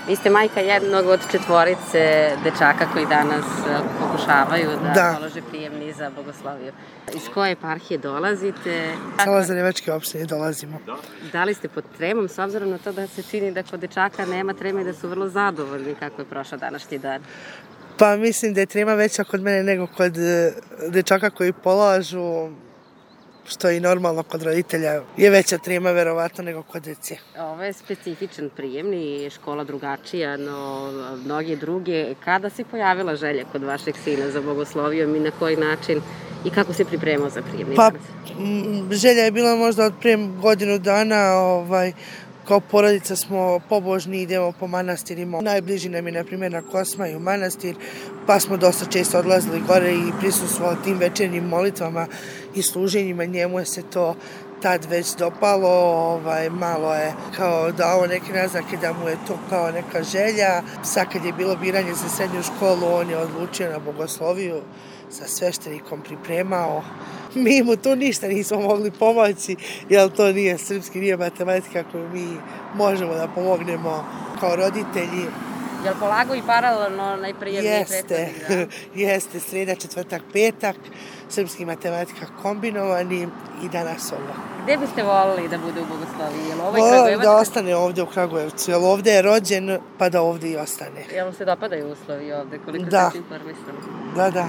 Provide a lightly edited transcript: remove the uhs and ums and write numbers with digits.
Vi ste majka jednog od 4 dečaka koji danas pokušavaju da polože prijemni za bogosloviju. Iz koje eparhije dolazite? Sa Lazarevačke opštine dolazimo. Da li ste pod tremom, s obzirom na to da se čini da kod dečaka nema treme i da su vrlo zadovoljni kako je prošao današnji dan? Pa mislim da je trema veća kod mene nego kod dečaka koji polažu, što je i normalno kod roditelja, je veća trema verovatno nego kod dece. Ovo je specifičan prijemni, škola drugačija, no mnogi druge. Kada se pojavila želja kod vašeg sina za bogoslovijom i na koji način i kako se pripremao za prijemni? Pa želja je bila možda od prije godinu dana, kao porodica smo pobožni, idemo po manastirima. Najbliži nam je, na primjer, na Kosmaju manastir, pa smo dosta često odlazili gore i prisustvovali tim večernjim molitvama i služenjima. Njemu je se to tad već dopalo, malo je kao dao neke naznake da mu je to kao neka želja. Sad kad je bilo biranje za srednju školu, on je odlučio na bogosloviju, sa sveštenikom pripremao. Mi mu tu ništa nismo mogli pomoći, jer to nije srpski, nije matematika koju mi možemo da pomognemo kao roditelji. Je li polagao i paralelno najprijemniji prethodni dan? Jeste, sreda, četvrtak, petak, srpski matematika kombinovani i danas ovo. Gde biste volili da bude u bogosloviji? Volim da ostane ovde u Kragujevcu, jer ovde je rođen, pa da ovde i ostane. Jel vam se dopadaju uslovi ovde, koliko ste informisali? Da.